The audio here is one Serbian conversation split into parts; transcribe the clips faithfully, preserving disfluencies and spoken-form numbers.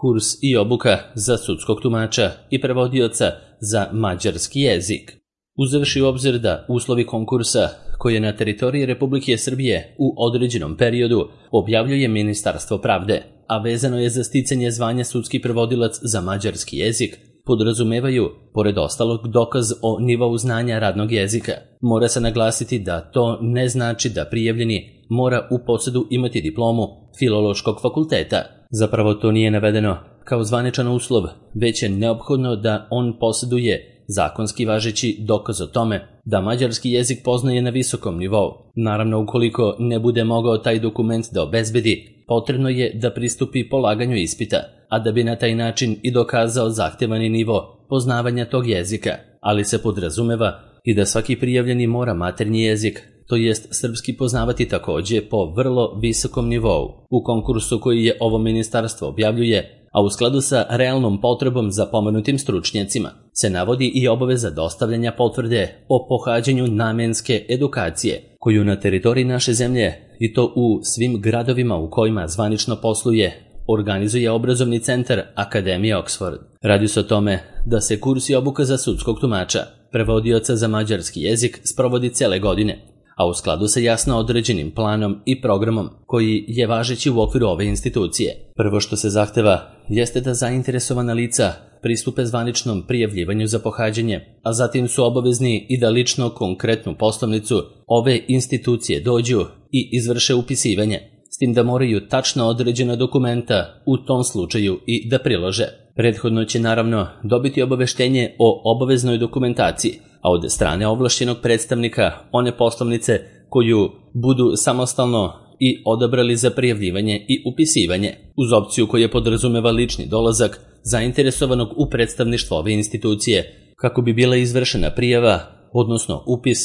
kurs i obuka za sudskog tumača i prevodioca za mađarski jezik. Uzevši u obzir da uslovi konkursa koje na teritoriji Republike Srbije u određenom periodu objavljuje Ministarstvo pravde, a vezano je za sticanje zvanja sudski prevodilac za mađarski jezik, podrazumevaju, pored ostalog, dokaz o nivou znanja radnog jezika. Mora se naglasiti da to ne znači da prijavljeni mora u posedu imati diplomu Filološkog fakulteta. Zapravo to nije navedeno kao zvaničan uslov, već je neophodno da on poseduje zakonski važeći dokaz o tome da mađarski jezik poznaje na visokom nivou. Naravno, ukoliko ne bude mogao taj dokument da obezbedi, potrebno je da pristupi polaganju ispita, a da bi na taj način i dokazao zahtevani nivo poznavanja tog jezika, ali se podrazumeva i da svaki prijavljeni mora maternji jezik, to jest srpski, poznavati takođe po vrlo visokom nivou. U konkursu koji je ovo ministarstvo objavljuje, a u skladu sa realnom potrebom za pomenutim stručnjacima, se navodi i obaveza dostavljanja potvrde o pohađanju namenske edukacije, koju na teritoriji naše zemlje, i to u svim gradovima u kojima zvanično posluje, organizuje obrazovni centar Akademije Oxford. Radi se o tome da se kurs i obuka za sudskog tumača, prevodioca za mađarski jezik, sprovodi cele godine, a u skladu sa jasno određenim planom i programom koji je važeći u okviru ove institucije. Prvo što se zahteva jeste da zainteresovana lica pristupe zvaničnom prijavljivanju za pohađanje, a zatim su obavezni i da lično konkretnu poslovnicu ove institucije dođu i izvrše upisivanje, s tim da moraju tačno određena dokumenta u tom slučaju i da prilože. Prethodno će naravno dobiti obaveštenje o obaveznoj dokumentaciji, a od strane ovlašćenog predstavnika one poslovnice koju budu samostalno i odabrali za prijavljivanje i upisivanje, uz opciju koja podrazumeva lični dolazak zainteresovanog u predstavništvo ove institucije. Kako bi bila izvršena prijava, odnosno upis,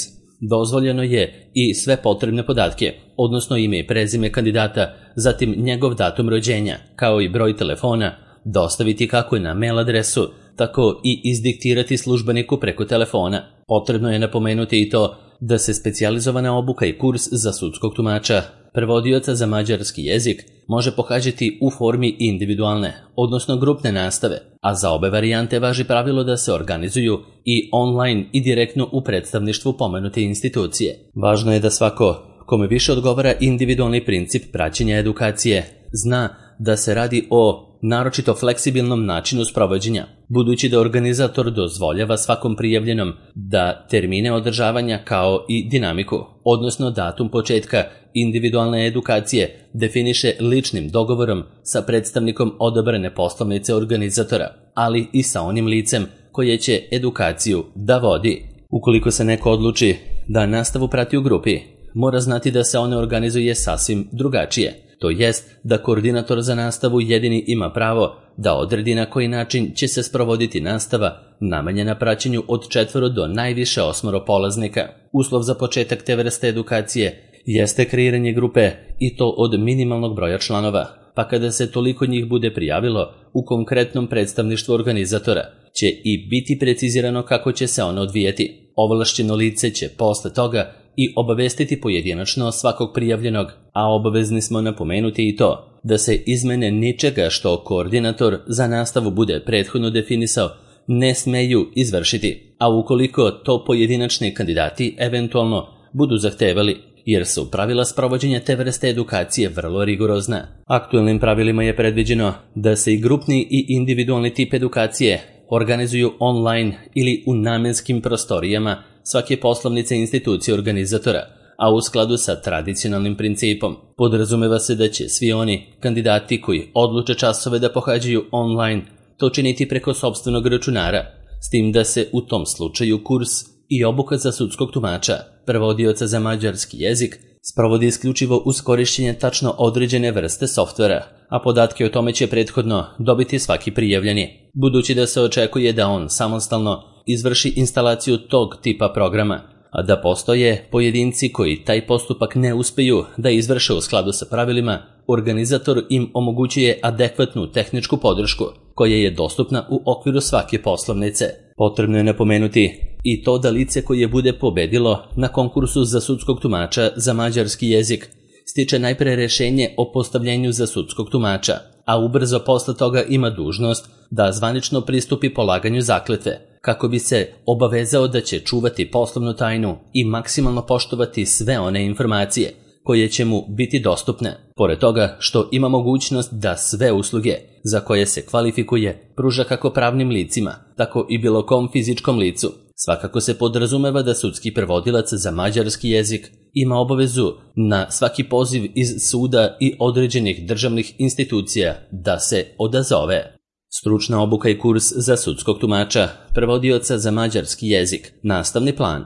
dozvoljeno je i sve potrebne podatke, odnosno ime i prezime kandidata, zatim njegov datum rođenja, kao i broj telefona, dostaviti kako je na mail adresu, tako i izdiktirati službeniku preko telefona. Potrebno je napomenuti i to da se specijalizovana obuka i kurs za sudskog tumača, prevodioca za mađarski jezik, može pohađati u formi individualne, odnosno grupne nastave, a za obe varijante važi pravilo da se organizuju i online i direktno u predstavništvu pomenute institucije. Važno je da svako kome više odgovara individualni princip praćenja edukacije zna da se radi o naročito fleksibilnom načinu sprovođenja, budući da organizator dozvoljava svakom prijavljenom da termine održavanja kao i dinamiku, odnosno datum početka individualne edukacije, definiše ličnim dogovorom sa predstavnikom odabrane poslovnice organizatora, ali i sa onim licem koje će edukaciju da vodi. Ukoliko se neko odluči da nastavu prati u grupi, mora znati da se ona organizuje sasvim drugačije. To jest da koordinator za nastavu jedini ima pravo da odredi na koji način će se sprovoditi nastava namenjena praćenju od četvoro do najviše osmoro polaznika. Uslov za početak te vrste edukacije jeste kreiranje grupe, i to od minimalnog broja članova, pa kada se toliko njih bude prijavilo u konkretnom predstavništvu organizatora, će i biti precizirano kako će se ono odvijeti. Ovlašćeno lice će posle toga i obavestiti pojedinačno svakog prijavljenog, a obavezni smo napomenuti i to da se izmene ničega što koordinator za nastavu bude prethodno definisao ne smeju izvršiti, a ukoliko to pojedinačni kandidati eventualno budu zahtevali, jer su pravila sprovođenja te vrste edukacije vrlo rigorozna. Aktuelnim pravilima je predviđeno da se i grupni i individualni tip edukacije organizuju online ili u namenskim prostorijama svake poslovnice institucije organizatora, a u skladu sa tradicionalnim principom. Podrazumeva se da će svi oni kandidati koji odluče časove da pohađaju online to činiti preko sopstvenog računara, s tim da se u tom slučaju kurs i obuka za sudskog tumača, prevodioca za mađarski jezik, sprovodi isključivo uz korišćenje tačno određene vrste softvera, a podatke o tome će prethodno dobiti svaki prijavljeni, budući da se očekuje da on samostalno izvrši instalaciju tog tipa programa, a da postoje pojedinci koji taj postupak ne uspeju da izvrše u skladu sa pravilima, organizator im omogućuje adekvatnu tehničku podršku koja je dostupna u okviru svake poslovnice. Potrebno je napomenuti i to da lice koje bude pobedilo na konkursu za sudskog tumača za mađarski jezik stiče najpre rešenje o postavljenju za sudskog tumača, a ubrzo posle toga ima dužnost da zvanično pristupi polaganju zakletve, kako bi se obavezao da će čuvati poslovnu tajnu i maksimalno poštovati sve one informacije koje će mu biti dostupne, pored toga što ima mogućnost da sve usluge za koje se kvalifikuje pruža kako pravnim licima, tako i bilo kom fizičkom licu. Svakako se podrazumeva da sudski prevodilac za mađarski jezik ima obavezu na svaki poziv iz suda i određenih državnih institucija da se odazove. Stručna obuka i kurs za sudskog tumača, prevodioca za mađarski jezik, nastavni plan.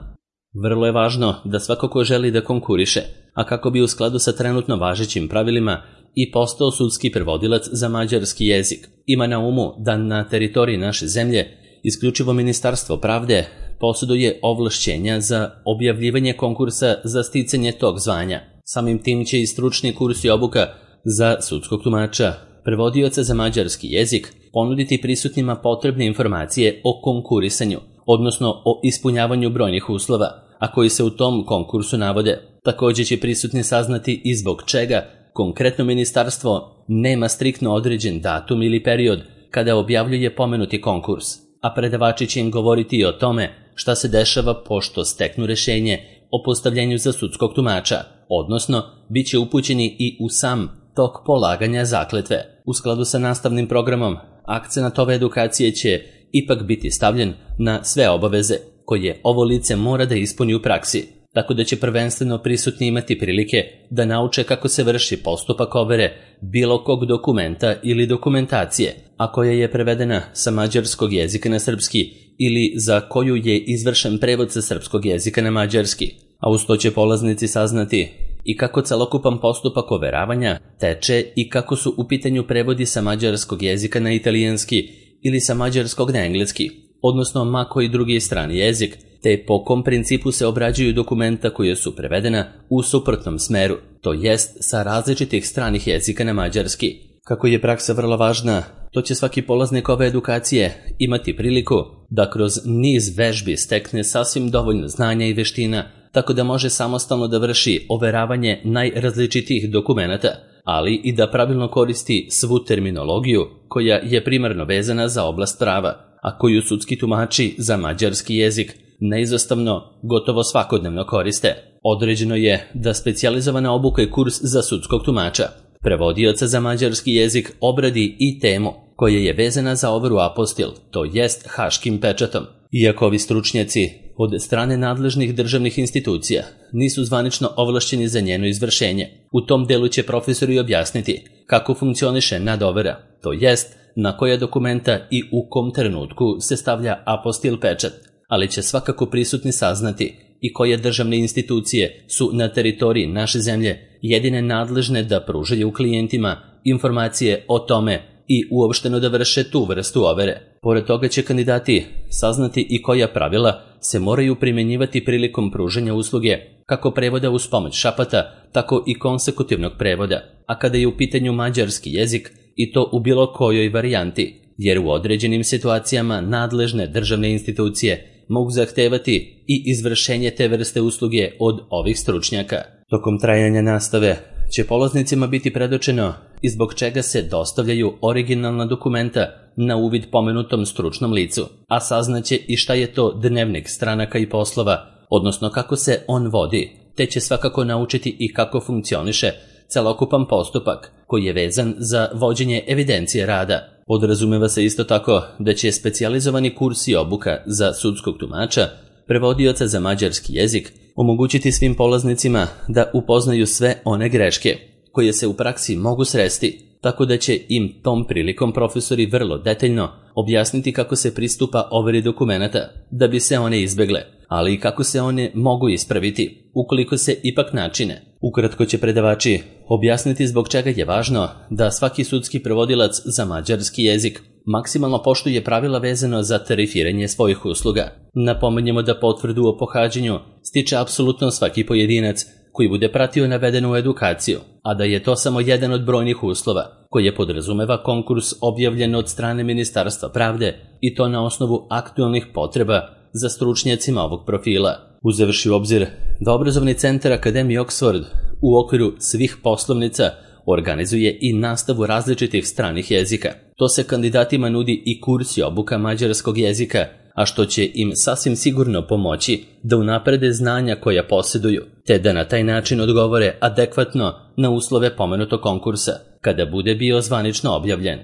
Vrlo je važno da svako ko želi da konkuriše, a kako bi u skladu sa trenutno važećim pravilima i postao sudski prevodilac za mađarski jezik, ima na umu da na teritoriji naše zemlje isključivo Ministarstvo pravde posjeduje ovlašćenja za objavljivanje konkursa za sticanje tog zvanja. Samim tim će i stručni kurs i obuka za sudskog tumača, prevodioca za mađarski jezik, ponuditi prisutnima potrebne informacije o konkurisanju, odnosno o ispunjavanju brojnih uslova, a koji se u tom konkursu navode. Također će prisutni saznati i zbog čega konkretno ministarstvo nema striktno određen datum ili period kada objavljuje pomenuti konkurs, a predavači će im govoriti i o tome šta se dešava pošto steknu rešenje o postavljenju za sudskog tumača, odnosno bit će upućeni i u sam tok polaganja zakletve. U skladu sa nastavnim programom, akcenat ove edukacije će ipak biti stavljen na sve obaveze koje ovo lice mora da ispuni u praksi, tako da će prvenstveno prisutni imati prilike da nauče kako se vrši postupak overe bilo kog dokumenta ili dokumentacije, a koja je prevedena sa mađarskog jezika na srpski ili za koju je izvršen prevod sa srpskog jezika na mađarski, a uz to će polaznici saznati i kako celokupan postupak overavanja teče i kako su u pitanju prevodi sa mađarskog jezika na italijanski ili sa mađarskog na engleski, odnosno ma koji drugi strani jezik, te po kom principu se obrađuju dokumenta koje su prevedena u suprotnom smeru, to jest sa različitih stranih jezika na mađarski. Kako je praksa vrlo važna, to će svaki polaznik ove edukacije imati priliku da kroz niz vežbi stekne sasvim dovoljno znanja i veština, tako da može samostalno da vrši overavanje najrazličitijih dokumenata, ali i da pravilno koristi svu terminologiju koja je primarno vezana za oblast prava, a koju sudski tumači za mađarski jezik neizostavno gotovo svakodnevno koriste. Određeno je da specijalizovana obuka i kurs za sudskog tumača, prevodioca za mađarski jezik, obradi i temu koja je vezana za overu apostil, to jest haškim pečatom. Iako ovi stručnjaci od strane nadležnih državnih institucija nisu zvanično ovlašćeni za njeno izvršenje, u tom delu će profesori objasniti kako funkcioniše nadovera, to jest na koja dokumenta i u kom trenutku se stavlja apostil pečat, ali će svakako prisutni saznati i koje državne institucije su na teritoriji naše zemlje jedine nadležne da pružaju klijentima informacije o tome i uopšteno da vrše tu vrstu overe. Pored toga će kandidati saznati i koja pravila se moraju primjenjivati prilikom pružanja usluge, kako prevoda uz pomoć šapata, tako i konsekutivnog prevoda, a kada je u pitanju mađarski jezik, i to u bilo kojoj varijanti, jer u određenim situacijama nadležne državne institucije mogu zahtevati i izvršenje te vrste usluge od ovih stručnjaka. Tokom trajanja nastave će polaznicima biti predočeno i zbog čega se dostavljaju originalna dokumenta na uvid pomenutom stručnom licu, a saznaće i šta je to dnevnik stranaka i poslova, odnosno kako se on vodi, te će svakako naučiti i kako funkcioniše celokupan postupak koji je vezan za vođenje evidencije rada. Podrazumeva se isto tako da će specijalizovani kurs i obuka za sudskog tumača, prevodioca za mađarski jezik, omogućiti svim polaznicima da upoznaju sve one greške koje se u praksi mogu sresti, tako da će im tom prilikom profesori vrlo detaljno objasniti kako se pristupa overi dokumenata da bi se one izbegle, ali i kako se one mogu ispraviti ukoliko se ipak načine. Ukratko će predavači objasniti zbog čega je važno da svaki sudski prevodilac za mađarski jezik maksimalno poštuje pravila vezano za tarifiranje svojih usluga. Napomenjemo da potvrdu o pohađanju stiče apsolutno svaki pojedinac koji bude pratio navedenu edukaciju, a da je to samo jedan od brojnih uslova koje podrazumeva konkurs objavljen od strane Ministarstva pravde i to na osnovu aktualnih potreba za stručnjacima ovog profila. Uzevši u obzir da obrazovni centar Akademije Oxford u okviru svih poslovnica organizuje i nastavu različitih stranih jezika. To se kandidatima nudi i kurs i obuka mađarskog jezika, a što će im sasvim sigurno pomoći da unaprede znanja koja posjeduju, te da na taj način odgovore adekvatno na uslove pomenutog konkursa, kada bude bio zvanično objavljen.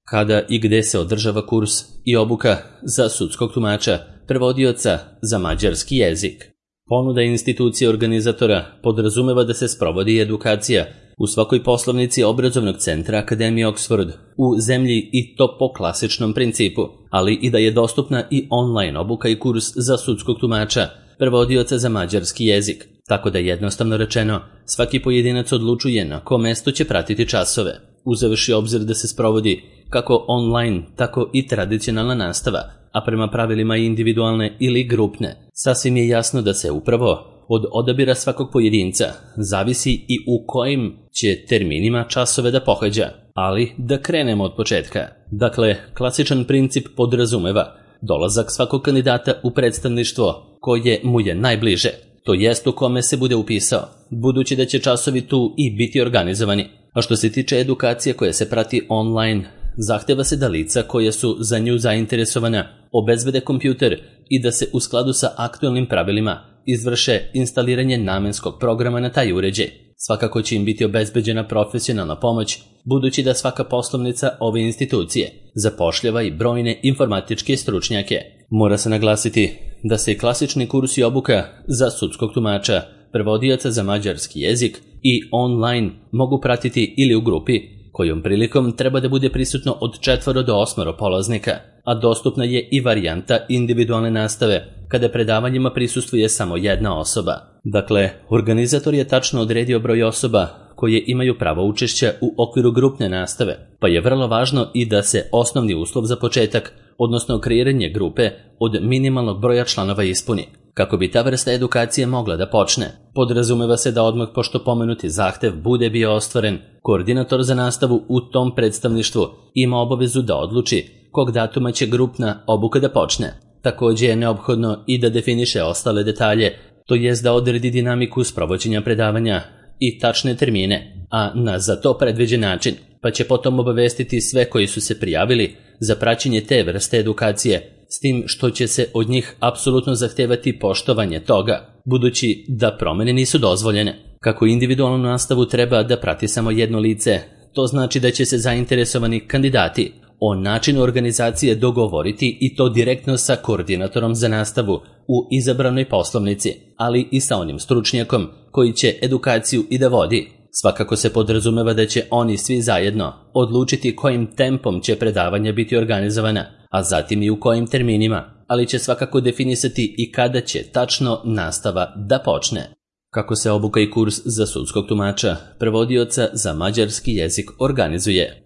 Kada i gde se održava kurs i obuka za sudskog tumača, prevodioca za mađarski jezik? Ponuda institucije organizatora podrazumeva da se sprovodi edukacija u svakoj poslovnici obrazovnog centra Akademije Oxford u zemlji i to po klasičnom principu, ali i da je dostupna i online obuka i kurs za sudskog tumača, prevodioca za mađarski jezik, tako da jednostavno rečeno svaki pojedinac odlučuje na kom mestu će pratiti časove, uzevši obzir da se sprovodi kako online, tako i tradicionalna nastava, a prema pravilima individualne ili grupne. Sasvim je jasno da se upravo od odabira svakog pojedinca zavisi i u kojim će terminima časove da pohađa, ali da krenemo od početka. Dakle, klasičan princip podrazumeva dolazak svakog kandidata u predstavništvo koje mu je najbliže, to jest u kome se bude upisao, budući da će časovi tu i biti organizovani. A što se tiče edukacije koja se prati online, zahteva se da lica koja su za nju zainteresovana obezbede kompjuter i da se u skladu sa aktualnim pravilima izvrše instaliranje namenskog programa na taj uređaj. Svakako će im biti obezbeđena profesionalna pomoć, budući da svaka poslovnica ove institucije zapošljava i brojne informatičke stručnjake. Mora se naglasiti da se i klasični kurs i obuka za sudskog tumača, prevodioca za mađarski jezik i online mogu pratiti ili u grupi, kojom prilikom treba da bude prisutno od četvoro do osmoro polaznika, a dostupna je i varijanta individualne nastave, kada predavanjima prisustvuje samo jedna osoba. Dakle, organizator je tačno odredio broj osoba koje imaju pravo učešća u okviru grupne nastave, pa je vrlo važno i da se osnovni uslov za početak, odnosno kreiranje grupe od minimalnog broja članova ispuni. Kako bi ta vrsta edukacije mogla da počne, podrazumeva se da odmah pošto pomenuti zahtev bude bio ostvaren, koordinator za nastavu u tom predstavništvu ima obavezu da odluči kog datuma će grupna obuka da počne. Također je neophodno i da definiše ostale detalje, to jest da odredi dinamiku sprovođenja predavanja i tačne termine, a na za to predviđen način, pa će potom obavestiti sve koji su se prijavili za praćenje te vrste edukacije, s tim što će se od njih apsolutno zahtevati poštovanje toga, budući da promene nisu dozvoljene. Kako individualnu nastavu treba da prati samo jedno lice, to znači da će se zainteresovani kandidati o načinu organizacije dogovoriti i to direktno sa koordinatorom za nastavu u izabranoj poslovnici, ali i sa onim stručnjakom koji će edukaciju i da vodi. Svakako se podrazumeva da će oni svi zajedno odlučiti kojim tempom će predavanja biti organizovana, a zatim i u kojim terminima, ali će svakako definisati i kada će tačno nastava da počne. Kako se obuka i kurs za sudskog tumača, prevodioca za mađarski jezik organizuje?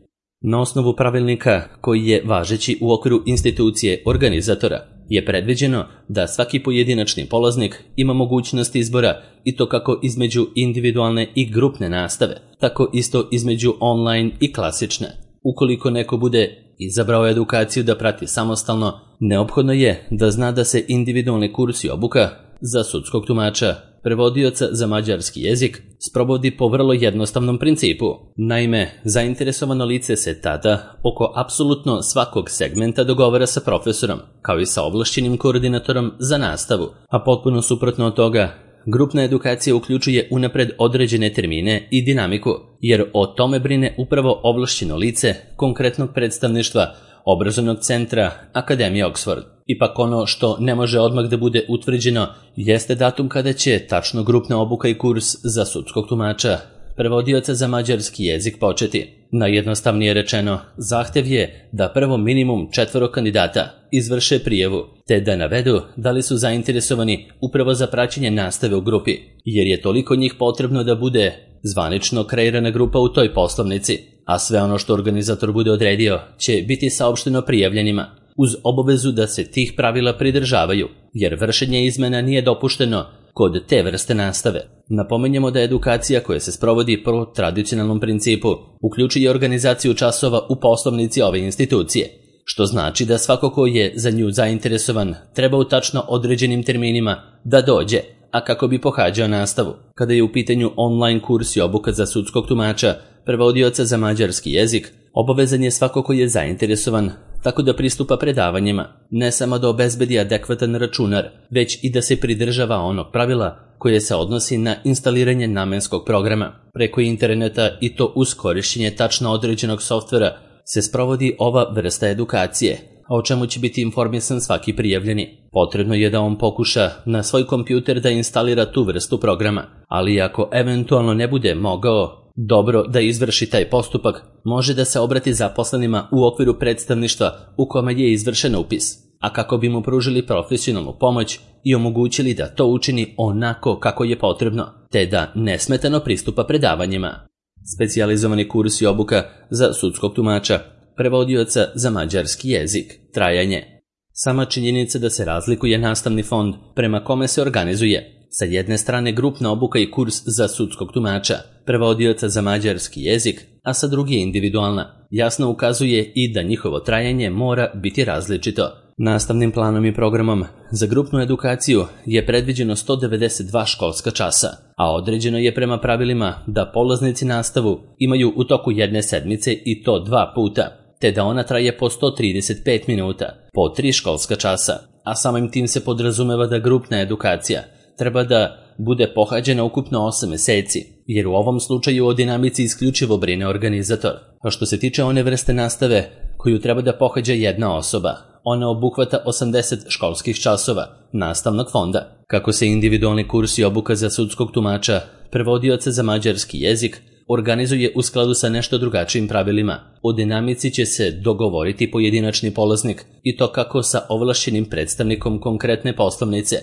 Na osnovu pravilnika koji je važeći u okviru institucije organizatora je predviđeno da svaki pojedinačni polaznik ima mogućnost izbora i to kako između individualne i grupne nastave, tako isto između online i klasične. Ukoliko neko bude izabrao edukaciju da prati samostalno, neophodno je da zna da se individualni kurs i obuka za sudskog tumača, prevodioca za mađarski jezik, sprovodi po vrlo jednostavnom principu. Naime, zainteresovano lice se tada oko apsolutno svakog segmenta dogovara sa profesorom, kao i sa ovlašćenim koordinatorom za nastavu, a potpuno suprotno od toga, grupna edukacija uključuje unapred određene termine i dinamiku, jer o tome brine upravo ovlašćeno lice konkretnog predstavništva obrazovnog centra Akademije Oxford. Ipak ono što ne može odmah da bude utvrđeno jeste datum kada će tačno grupna obuka i kurs za sudskog tumača, prevodioca za mađarski jezik početi. Najjednostavnije rečeno, zahtev je da prvo minimum četvoro kandidata izvrše prijavu, te da navedu da li su zainteresovani upravo za praćenje nastave u grupi, jer je toliko njih potrebno da bude zvanično kreirana grupa u toj poslovnici, a sve ono što organizator bude odredio će biti saopšteno prijavljenima, uz obavezu da se tih pravila pridržavaju, jer vršenje izmena nije dopušteno kod te vrste nastave. Napominjemo da edukacija koja se sprovodi po tradicionalnom principu uključuje organizaciju časova u poslovnici ove institucije, što znači da svako ko je za nju zainteresovan treba u tačno određenim terminima da dođe, a kako bi pohađao nastavu. Kada je u pitanju online kurs i obuka za sudskog tumača, prevodioca za mađarski jezik, obavezan je svako ko je zainteresovan tako da pristupa predavanjima, ne samo da obezbedi adekvatan računar, već i da se pridržava onog pravila koje se odnosi na instaliranje namenskog programa. Preko interneta i to uz korišćenje tačno određenog softvera se sprovodi ova vrsta edukacije, a o čemu će biti informisan svaki prijavljeni. Potrebno je da on pokuša na svoj kompjuter da instalira tu vrstu programa, ali ako eventualno ne bude mogao dobro da izvrši taj postupak, može da se obrati zaposlenima u okviru predstavništva u kome je izvršen upis, a kako bi mu pružili profesionalnu pomoć i omogućili da to učini onako kako je potrebno, te da nesmetano pristupa predavanjima. Specijalizovani kurs i obuka za sudskog tumača, prevodioca za mađarski jezik. Trajanje. Sama činjenica da se razlikuje nastavni fond prema kome se organizuje, sa jedne strane grupna obuka i kurs za sudskog tumača, prevodioca za mađarski jezik, a sa druge individualna, jasno ukazuje i da njihovo trajanje mora biti različito. Nastavnim planom i programom za grupnu edukaciju je predviđeno sto devedeset dva školska časa, a određeno je prema pravilima da polaznici nastavu imaju u toku jedne sedmice i to dva puta, te da ona traje po sto trideset pet minuta, po tri školska časa, a samim tim se podrazumeva da grupna edukacija treba da bude pohađena ukupno osam meseci, jer u ovom slučaju o dinamici isključivo brine organizator. A što se tiče one vrste nastave koju treba da pohađa jedna osoba, ona obuhvata osamdeset školskih časova nastavnog fonda. Kako se individualni kurs i obuka za sudskog tumača, prevodioca za mađarski jezik, organizuje u skladu sa nešto drugačijim pravilima. O dinamici će se dogovoriti pojedinačni polaznik i to kako sa ovlašćenim predstavnikom konkretne poslovnice,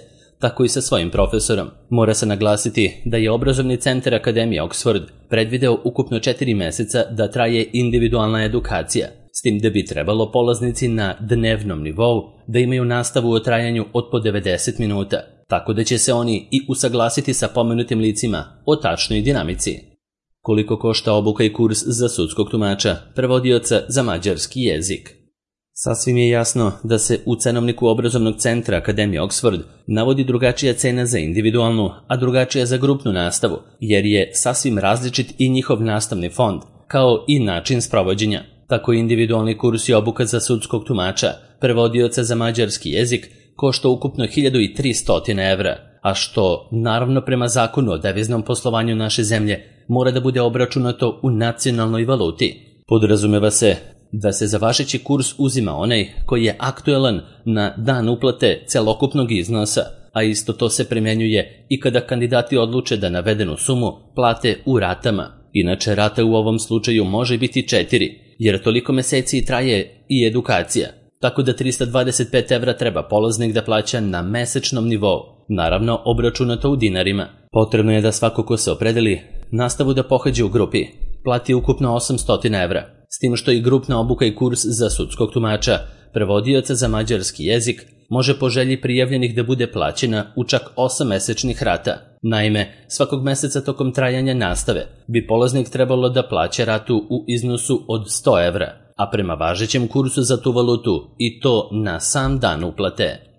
tako i sa svojim profesorom. Mora se naglasiti da je obrazovni centar Akademije Oxford predvideo ukupno četiri meseca da traje individualna edukacija, s tim da bi trebalo polaznici na dnevnom nivou da imaju nastavu o trajanju od po devedeset minuta, tako da će se oni i usaglasiti sa pomenutim licima o tačnoj dinamici. Koliko košta obuka i kurs za sudskog tumača, prevodioca za mađarski jezik? Sasvim je jasno da se u cenovniku obrazovnog centra Akademije Oxford navodi drugačija cena za individualnu, a drugačija za grupnu nastavu, jer je sasvim različit i njihov nastavni fond, kao i način sprovođenja. Tako individualni kurs i obuka za sudskog tumača, prevodioca za mađarski jezik, košta ukupno hiljadu tristo evra, a što, naravno prema zakonu o deviznom poslovanju naše zemlje, mora da bude obračunato u nacionalnoj valuti. Podrazumeva se da se za važeći kurs uzima onaj koji je aktuelan na dan uplate celokupnog iznosa, a isto to se primjenjuje i kada kandidati odluče da navedenu sumu plate u ratama. Inače, rata u ovom slučaju može biti četiri, jer toliko meseci traje i edukacija, tako da trista dvadeset pet evra treba polaznik da plaća na mesečnom nivou, naravno obračunato u dinarima. Potrebno je da svako ko se opredeli nastavu da pohađa u grupi plati ukupno osamsto evra, s tim što i grupna obuka i kurs za sudskog tumača, prevodioca za mađarski jezik, može po želji prijavljenih da bude plaćena u čak osam mesečnih rata. Naime, svakog meseca tokom trajanja nastave bi polaznik trebalo da plaća ratu u iznosu od sto evra, a prema važećem kursu za tu valutu i to na sam dan uplate.